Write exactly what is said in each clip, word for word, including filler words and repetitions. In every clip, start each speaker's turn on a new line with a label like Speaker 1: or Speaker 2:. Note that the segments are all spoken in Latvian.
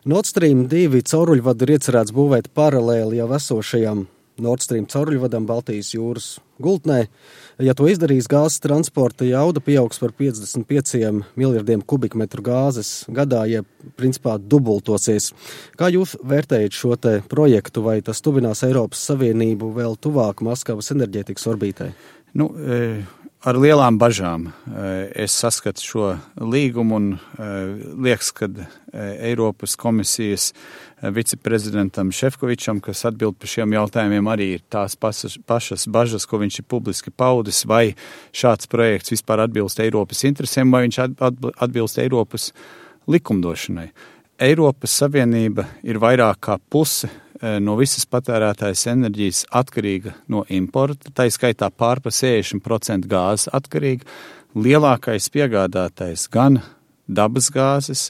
Speaker 1: Nord Stream divi cauruļvadu ir iecerēts būvēt paralēli jau esošajam Nord Stream cauruļvadam Baltijas jūras gultnē. Ja to izdarīs, gāzes transporta jauda pieaugs par piecdesmit pieciem miljardiem kubikmetru gāzes gadā, ja principā dubultosies. Kā jūs vērtējat šo te projektu, vai tas tuvinās Eiropas Savienību vēl tuvāk Maskavas enerģētikas orbītē?
Speaker 2: Nu, ar lielām bažām es saskatu šo līgumu un liekas, ka Eiropas komisijas viceprezidentam Šefkovičam, kas atbild par šiem jautājumiem, arī ir tās pašas, pašas bažas, ko viņš ir publiski paudis, vai šāds projekts vispār atbilst Eiropas interesēm, vai viņš atbilst Eiropas likumdošanai. Eiropas Savienība ir vairāk kā puse no visas patērētājas enerģijas atkarīga no importa, tā skaitā pār pa sešdesmit procenti gāzes atkarīga. Lielākais piegādātais gan dabas gāzes,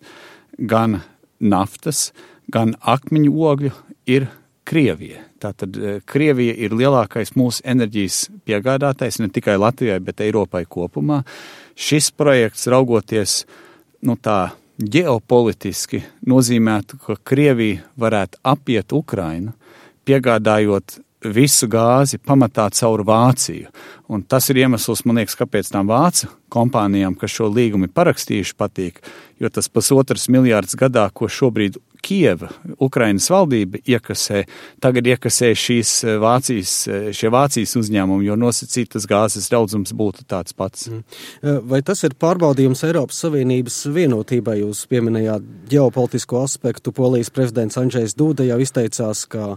Speaker 2: gan naftas, gan akmeņu ogļu ir Krievija. Tātad Krievija ir lielākais mūsu enerģijas piegādātais ne tikai Latvijai, bet Eiropai kopumā. Šis projekts, raugoties nu tā ģeopolitiski, nozīmētu, ka Krievija varētu apiet Ukrainu, piegādājot visu gāzi pamatā caur Vāciju. Un tas ir iemesls, man liekas, kāpēc tām vācu kompānijām, kas šo līgumu ir parakstījuši, patīk, jo tas pusotras miljārds gadā, ko šobrīd Kieva, Ukrainas valdība iekasē, tagad iekasē šīs Vācijas, šie Vācijas uzņēmumi, jo nosacītas gāzes daudzums būtu tāds pats.
Speaker 1: Vai tas ir pārbaudījums Eiropas Savienības vienotībai? Jūs pieminējāt ģeopolitisko aspektu. Polijas prezidents Andžejs Duda jau izteicās, ka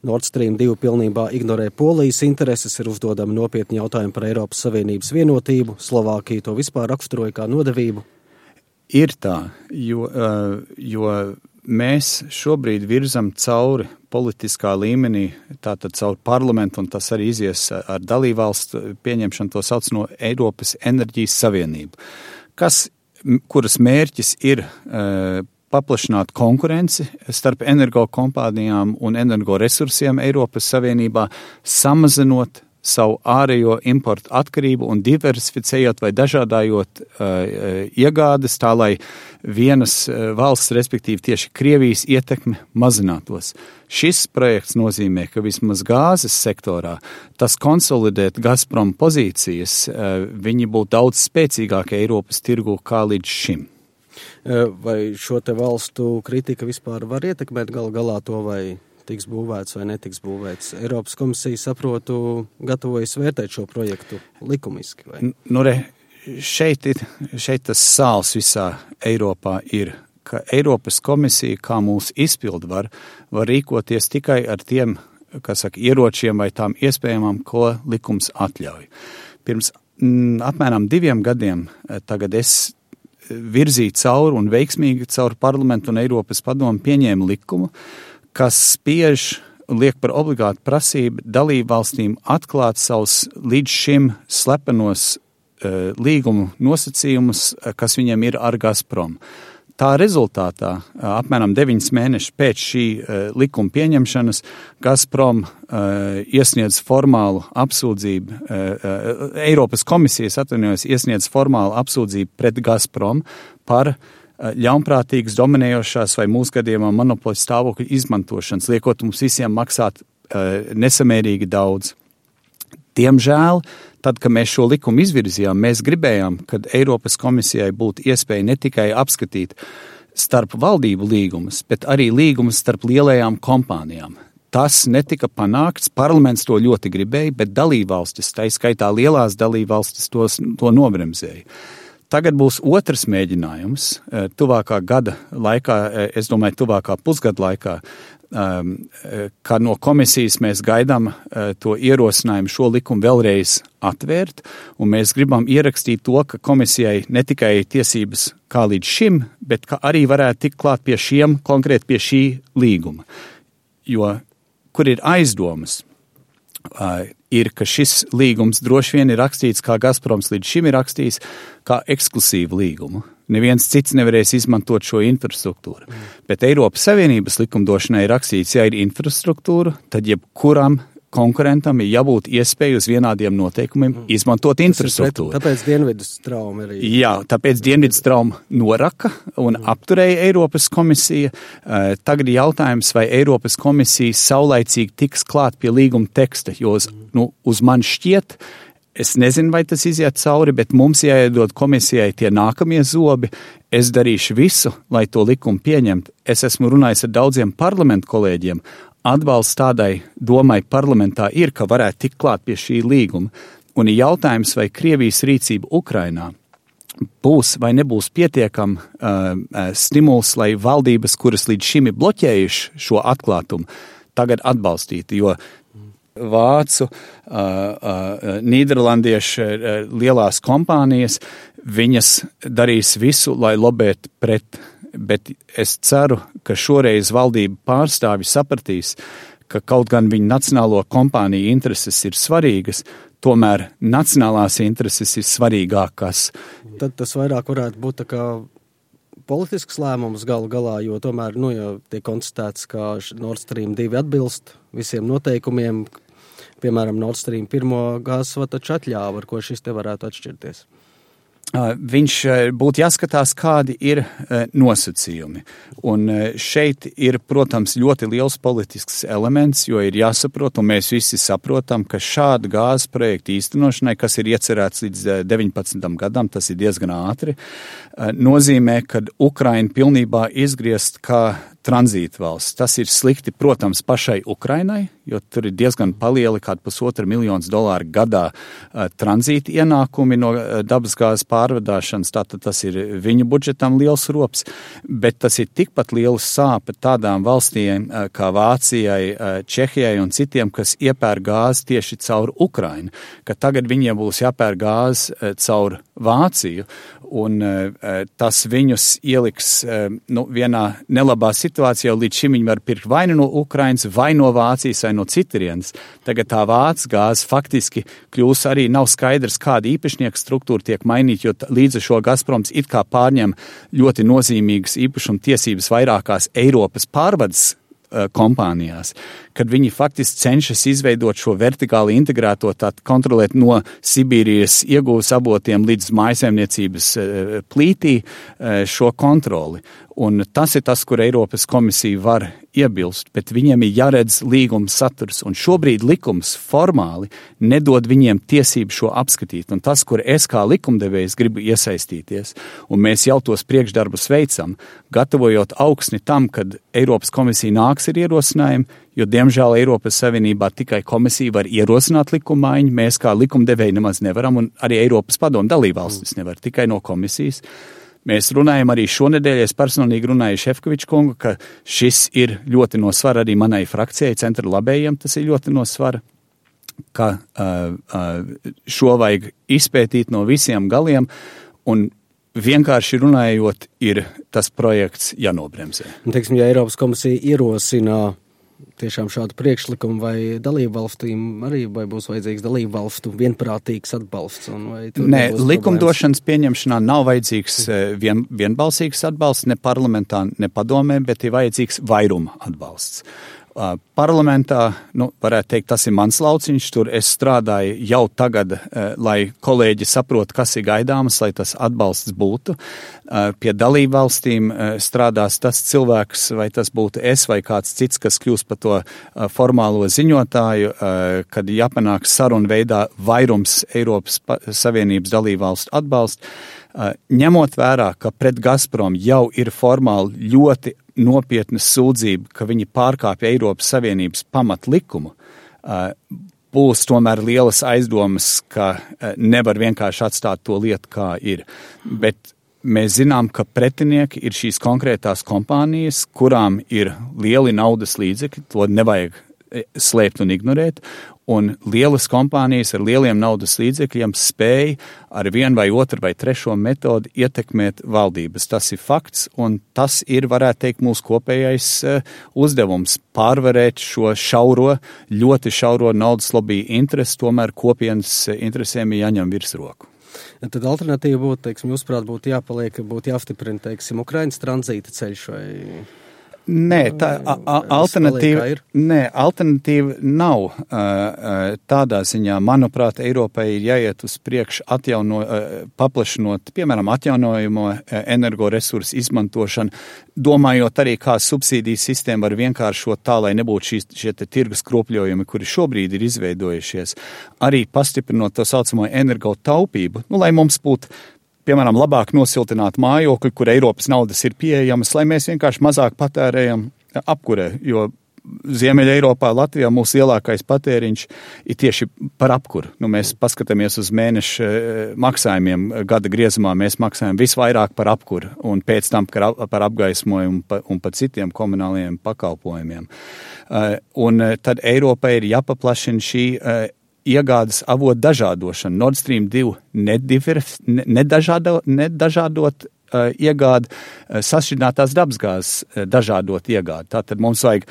Speaker 1: Nord Stream divi pilnībā ignorē Polijas intereses, ir uzdodami nopietni jautājumi par Eiropas Savienības vienotību. Slovākija to vispār raksturoja kā nodevību.
Speaker 2: Ir tā, jo, jo mēs šobrīd virzam cauri politiskā līmenī, tātad caur parlamentu, un tas arī izies ar dalībvalstu pieņemšanu, to sauc no Eiropas enerģijas savienību, kas, kuras mērķis ir uh, paplašināt konkurenci starp energokompānijām un energoresursiem Eiropas Savienībā, samazinot savu ārējo importu atkarību un diversificējot vai dažādājot uh, iegādes tā, lai vienas uh, valsts, respektīvi tieši Krievijas ietekme mazinātos. Šis projekts nozīmē, ka vismaz gāzes sektorā tas konsolidēt Gazprom pozīcijas, uh, viņi būtu daudz spēcīgāki Eiropas tirgu kā līdz šim.
Speaker 1: Vai šo te valstu kritika vispār var ietekmēt gal galā to, vai tiks būvēts vai netiks būvēts? Eiropas komisija, saprotu, gatavojas vērtēt šo projektu likumiski, vai?
Speaker 2: Nu, re, šeit, ir, šeit tas sāls visā Eiropā ir, ka Eiropas komisija, kā mūsu izpildu var, var rīkoties tikai ar tiem, kas saka, ieročiem vai tām iespējamām, ko likums atļauj. Pirms m, apmēram diviem gadiem tagad es virzīja cauri un veiksmīgi cauri parlamentu un Eiropas padomu pieņēma likumu, kas spiež, liek par obligātu prasību dalību valstīm atklāt savus līdz šim slepenos uh, līgumu nosacījumus, kas viņiem ir ar Gazprom. Tā rezultātā, apmēram deviņus mēnešus pēc šī uh, likuma pieņemšanas, Gazprom uh, iesniedz formālu apsūdzību, uh, uh, Eiropas komisijas atvainojas iesniedz formālu apsūdzību pret Gazprom par uh, ļaunprātīgas, dominējošās vai mūsu gadījumā monopoļu stāvokļu izmantošanas, liekot mums visiem maksāt uh, nesamērīgi daudz. Diemžēl, tad, kad mēs šo likumu izvirzījām, mēs gribējām, kad Eiropas komisijai būtu iespēja ne tikai apskatīt starp valdību līgumus, bet arī līgumus starp lielajām kompānijām. Tas netika panākts, parlaments to ļoti gribēja, bet dalībvalstis, tā skaitā lielās dalībvalstis, tos, to nobremzēja. Tagad būs otrs mēģinājums, tuvākā gada laikā, es domāju, tuvākā pusgada laikā, ka no komisijas mēs gaidām to ierosinājumu šo likumu vēlreiz atvērt, un mēs gribam ierakstīt to, ka komisijai ne tikai tiesības kā līdz šim, bet ka arī varētu tikt klāt pie šiem, konkrēti pie šī līguma. Jo, kur ir aizdomas, ir, ka šis līgums droši vien ir rakstīts, kā Gazproms līdz šim ir rakstījis, kā ekskluzīvu līgumu. Neviens cits nevarēs izmantot šo infrastruktūru. Mm. Bet Eiropas Savienības likumdošanai ir rakstīts, ja ir infrastruktūra, tad jebkuram konkurentam ir jābūt iespēju uz vienādiem noteikumiem mm. izmantot infrastruktūru.
Speaker 1: Pret, tāpēc Dienvidu strauma arī.
Speaker 2: Jā, tāpēc Dienvidu strauma noraka un mm. apturēja Eiropas komisija. Tagad jautājums, vai Eiropas komisija saulaicīgi tiks klāt pie līguma teksta, jo uz, mm. nu, uz man šķiet, es nezinu, vai tas iziet cauri, bet mums jāiedod komisijai tie nākamie zobi. Es darīšu visu, lai to likumu pieņemtu. Es esmu runājis ar daudziem parlamentu kolēģiem. Atbalsts tādai domai parlamentā ir, ka varētu tikt klāt pie šī līguma. Un ir jautājums, vai Krievijas rīcība Ukrainā būs vai nebūs pietiekam uh, stimuls, lai valdības, kuras līdz šim ir bloķējuši šo atklātumu, tagad atbalstītu, jo Vācu, uh, uh, Nīderlandiešu uh, lielās kompānijas, viņas darīs visu, lai lobētu pret, bet es ceru, ka šoreiz valdība pārstāvi sapratīs, ka kaut gan viņu nacionālo kompāniju intereses ir svarīgas, tomēr nacionālās intereses ir svarīgākas.
Speaker 1: Tad tas vairāk varētu būt tā kā politisks lēmums galu galā, jo tomēr, nu, jau tiek konstatēts, ka Nord Stream divi atbilst visiem noteikumiem. Piemēram, Nord Stream pirmo gāzes vadu taču atļāva, ar ko šis te varētu atšķirties.
Speaker 2: Viņš būtu jāskatās, kādi ir nosacījumi. Un šeit ir, protams, ļoti liels politisks elements, jo ir jāsaprot, un mēs visi saprotam, ka šāda gāzes projekta īstenošanai, kas ir iecerēts līdz deviņpadsmitam gadam, tas ir diezgan ātri, nozīmē, ka Ukraina pilnībā izgriezt kā tranzīta valsts. Tas ir slikti, protams, pašai Ukrainai, jo tur ir diezgan palieli, kādi pusotra miljonus dolāru gadā uh, tranzīta ienākumi no uh, dabasgāzes pārvadāšanas, tātad tas ir viņu budžetam liels rops, bet tas ir tikpat liels sāpe tādām valstīm uh, kā Vācijai, uh, Čehijai un citiem, kas iepēr gāzi tieši caur Ukrainu, ka tagad viņiem būs jāpēr gāzi uh, caur Vāciju, un uh, tas viņus ieliks uh, nu, vienā nelabā situācijā, jo līdz šim viņi var pirkt vai no Ukrainas, vai no Vācijas, vai no citurienes. Tagad tā Vācijas gāze faktiski kļūs arī nav skaidrs, kāda īpašnieka struktūra tiek mainīta, jo līdz ar šo Gazproms it kā pārņem ļoti nozīmīgas īpašuma tiesības vairākās Eiropas pārvades kompānijās, kad viņi faktiski cenšas izveidot šo vertikāli integrēto, tātad kontrolēt no Sibīrijas iegūs avotiem līdz mājsaimniecības plītī šo kontroli. Un tas ir tas, kur Eiropas komisija var iebilst, bet viņiem ir jāredz līguma saturs, un šobrīd likums formāli nedod viņiem tiesību šo apskatīt, un tas, kur es kā likumdevējs gribu iesaistīties, un mēs jau tos priekšdarbus veicam, gatavojot augsni tam, kad Eiropas komisija nāks ar ierosinājumu, jo, diemžēl, Eiropas Savienībā tikai komisija var ierosināt likumaiņu, mēs kā likumdevēji nemaz nevaram, un arī Eiropas padomu dalībvalstis nevar, tikai no komisijas. Mēs runājam arī šonedēļ, es personīgi runāju Šefkoviča kungu, ka šis ir ļoti no svara arī manai frakcijai, centra labējiem, tas ir ļoti no svara, ka uh, uh, šo vajag izpētīt no visiem galiem, un vienkārši runājot, ir tas projekts jānobremzē.
Speaker 1: Teiksim, ja Eiropas komisija ierosina tiešām šādu priekšlikumu, vai dalību valstīm arī vai būs vajadzīgs dalību valstu vienprātīgs atbalsts? Un vai
Speaker 2: Nē, likumdošanas pieņemšanā nav vajadzīgs vien, vienbalsīgs atbalsts ne parlamentā, ne padomē, bet ir vajadzīgs vairuma atbalsts. Uh, parlamentā, nu, varētu teikt, tas ir mans lauciņš, tur es strādāju jau tagad, uh, lai kolēģi saprot, kas ir gaidāmas, lai tas atbalsts būtu. Uh, pie dalību valstīm uh, strādās tas cilvēks, vai tas būtu es vai kāds cits, kas kļūs par to uh, formālo ziņotāju, uh, kad jāpanāk sarunu veidā vairums Eiropas Savienības dalību valstu atbalstu. Uh, ņemot vērā, ka pret Gazprom jau ir formāli ļoti nopietna sūdzība, ka viņi pārkāpja Eiropas Savienības pamatlikumu, uh, būs tomēr lielas aizdomas, ka uh, nevar vienkārši atstāt to lietu, kā ir. Bet mēs zinām, ka pretinieki ir šīs konkrētās kompānijas, kurām ir lieli naudas līdzekļi, to nevajag slēpt un ignorēt, un lielas kompānijas ar lieliem naudas līdzekļiem spēj ar vienu vai otru vai trešo metodi ietekmēt valdības. Tas ir fakts, un tas ir, varētu teikt, mūsu kopējais uzdevums pārvarēt šo šauro, ļoti šauro naudas lobby interesi, tomēr kopienas interesēm ir jāņem virsroku.
Speaker 1: Tad alternatīva būtu, teiksim, jūsuprāt, būtu jāpaliek, būtu jāstiprina, teiksim, Ukrainas tranzīta ceļš vai...
Speaker 2: Nē, tā a, a, alternatīva, nē, alternatīva nav uh, tādā ziņā. Manuprāt, Eiropai ir jāiet uz priekšu atjauno, uh, paplašinot, piemēram, atjaunojamo energoresursu izmantošanu, domājot arī, kā subsīdiju sistēma var vienkāršot tā, lai nebūtu šīs, šie te tirgus kropļojumi, kuri šobrīd ir izveidojušies. Arī pastiprinot to saucamo energo taupību, nu, lai mums būtu piemēram, labāk nosiltināt mājokļi, kur Eiropas naudas ir pieejamas, lai mēs vienkārši mazāk patērējam apkurē, jo Ziemeļa Eiropā, Latvijā mūsu lielākais patēriņš ir tieši par apkuru. Nu, mēs paskatāmies uz mēneša maksājumiem gada griezumā, mēs maksājam visvairāk par apkuru un pēc tam par apgaismojumu un par citiem komunālajiem pakalpojumiem. Un tad Eiropai ir jāpaplašina šī iegādes avotu dažādošana. Nord Stream divi nedažādo, nedažādot uh, iegādi, uh, sašķidrinātās dabasgāzes uh, dažādot iegādi. Tātad mums vajag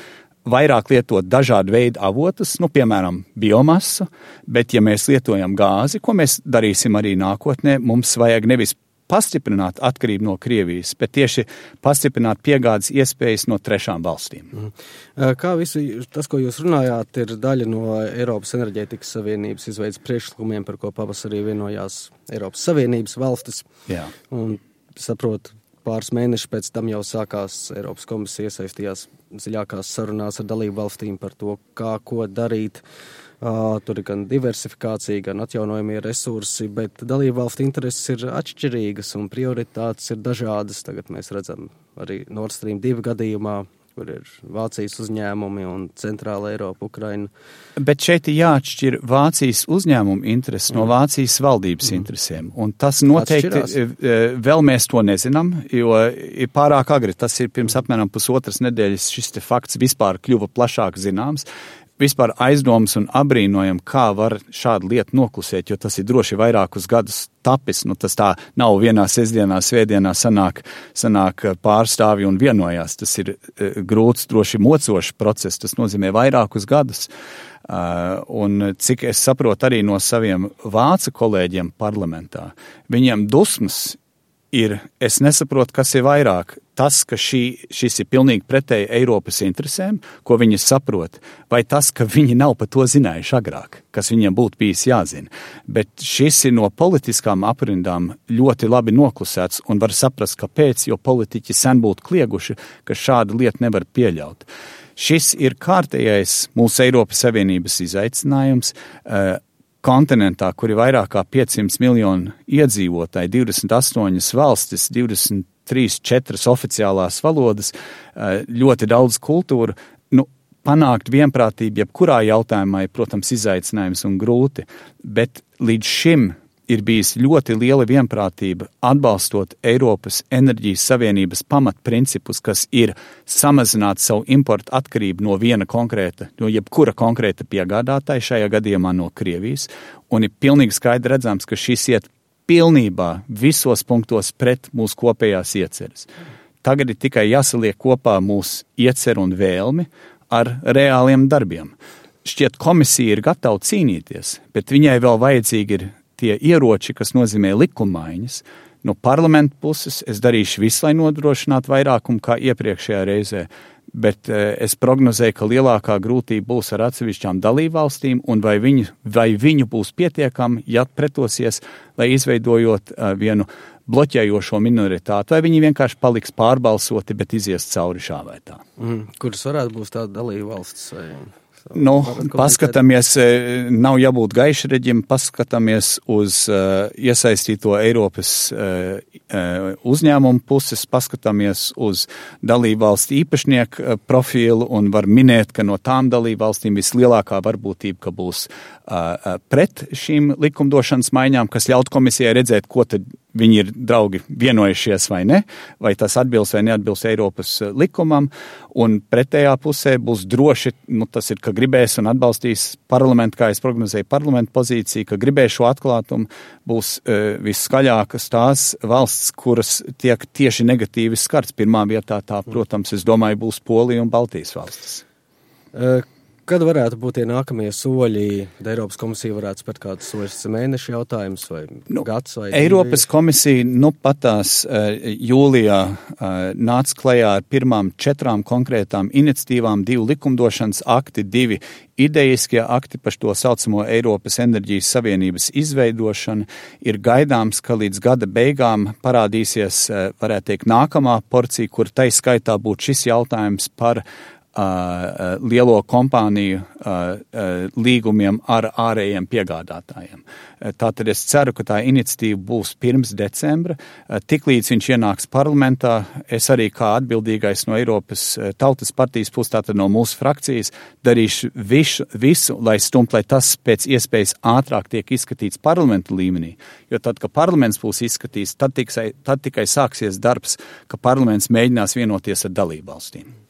Speaker 2: vairāk lietot dažādu veidu avotus, nu, piemēram, biomasu, bet ja mēs lietojam gāzi, ko mēs darīsim arī nākotnē, mums vajag nevis pastiprināt atkarību no Krievijas, bet tieši pastiprināt piegādes iespējas no trešām valstīm.
Speaker 1: Kā visi tas, ko jūs runājāt, ir daļa no Eiropas enerģētikas savienības izveidas priekšlikumiem, par ko pavasarī vienojās Eiropas Savienības valstis.
Speaker 2: Jā. Un
Speaker 1: saprotu, pāris mēneši pēc tam jau sākās Eiropas komisija iesaistījās dziļākās sarunās ar dalību valstīm par to, kā ko darīt. Uh, tur ir gan diversifikācija, gan atjaunojamie resursi, bet dalību valstu intereses ir atšķirīgas un prioritātes ir dažādas. Tagad mēs redzam arī Nord Stream divi gadījumā, kur ir Vācijas uzņēmumi un Centrāla Eiropa, Ukraina.
Speaker 2: Bet šeit ir jāatšķir Vācijas uzņēmumu intereses mm. no Vācijas valdības mm. interesēm. Un tas noteikti, Atšķirās. Vēl mēs to nezinām, jo ir pārāk agri. Tas ir pirms apmēram pusotras nedēļas šis te fakts vispār kļuva plašāk zināms. Vispār aizdomas un abrīnojam, kā var šādu lietu noklusēt, jo tas ir droši vairākus gadus tapis. Nu, tas tā nav vienā sestdienā, svētdienā sanāk, sanāk pārstāvi un vienojās. Tas ir uh, grūts, droši mocošs process, tas nozīmē vairākus gadus. Uh, un cik es saprotu arī no saviem vācu kolēģiem parlamentā, viņiem dusmas ir, es nesaprotu, kas ir vairāk. Tas, ka šī, šis ir pilnīgi pretēji Eiropas interesēm, ko viņi saprot, vai tas, ka viņi nav par to zinājuši agrāk, kas viņiem būtu bijis jāzina. Bet šis ir no politiskām aprindām ļoti labi noklusēts un var saprast, kāpēc, jo politiķi sen būtu klieguši, ka šādu lietu nevar pieļaut. Šis ir kārtējais mūsu Eiropas Savienības izaicinājums, uh, kontinentā, kur ir vairāk kā piecsimt miljonu iedzīvotāji, divdesmit astoņas valstis, divdesmit trīs, četras oficiālās valodas, ļoti daudz kultūru, nu, panākt vienprātību jebkurā jautājumā ir, protams, izaicinājums un grūti, bet līdz šim ir bijis ļoti liela vienprātība atbalstot Eiropas enerģijas savienības pamatprincipus, kas ir samazināt savu importu atkarību no viena konkrēta, no jebkura konkrēta piegādātāja, šajā gadījumā no Krievijas, un ir pilnīgi skaidri redzams, ka šis iet pilnībā visos punktos pret mūsu kopējās ieceres. Tagad ir tikai jāsaliek kopā mūsu ieceru un vēlmi ar reāliem darbiem. Šķiet, komisija ir gatava cīnīties, bet viņai vēl vajadzīgi ir tie ieroči, kas nozīmē likumaiņas. No parlamenta puses es darīšu visu, lai nodrošinātu vairākumu kā iepriekšējā reizē, bet eh, es prognozēju, ka lielākā grūtība būs ar atsevišķām dalībvalstīm un vai viņu, vai viņu būs pietiekami, ja pretosies, lai izveidojot uh, vienu bloķējošo minoritāti, vai viņi vienkārši paliks pārbalsoti, bet izies cauri šā vai tā.
Speaker 1: Mm, kuras varētu būt tāda dalībvalstis vai...
Speaker 2: Nu, paskatāmies, nav jābūt gaišreģim, paskatāmies uz uh, iesaistīto Eiropas uh, uh, uzņēmumu puses, paskatāmies uz dalībvalstu īpašnieku uh, profilu un var minēt, ka no tām dalībvalstīm vislielākā varbūtība, ka būs uh, pret šīm likumdošanas maiņām, kas ļaut komisijai redzēt, ko tad viņi ir draugi vienojušies vai ne, vai tas atbilst vai neatbilst Eiropas likumam, un pretējā pusē būs droši, nu tas ir, ka gribēs un atbalstīs parlamentu, kā es prognozēju, parlamentu pozīciju, ka gribēs šo atklātumu, būs uh, visskaļākas tās valsts, kuras tiek tieši negatīvi skarts. Pirmā vietā tā, protams, es domāju, būs Polija un Baltijas valstis.
Speaker 1: Uh. Kad varētu būt tie nākamie soļi? Eiropas komisija varētu spērt kādus soļus mēnešu jautājums vai nu, gads vai
Speaker 2: Eiropas
Speaker 1: divi?
Speaker 2: komisija nu patās uh, jūlijā uh, nāca klajā ar pirmām četrām konkrētām iniciatīvām, divu likumdošanas akti, divi idejiskie akti par to saucamo Eiropas enerģijas savienības izveidošanu. Ir gaidāms, ka līdz gada beigām parādīsies, uh, varētu teikt, nākamā porcija, kur tai skaitā būtu šis jautājums par Uh, lielo kompāniju uh, uh, līgumiem ar ārējiem piegādātājiem. Uh, tātad es ceru, ka tā iniciatīva būs pirms decembra. Uh, tiklīdz viņš ienāks parlamentā, es arī kā atbildīgais no Eiropas uh, Tautas partijas puses, tātad no mūsu frakcijas, darīšu visu, visu lai stumt, lai tas pēc iespējas ātrāk tiek izskatīts parlamentu līmenī. Jo tad, kad parlaments būs izskatīts, tad tikai, tad tikai sāksies darbs, ka parlaments mēģinās vienoties ar dalībvalstīm.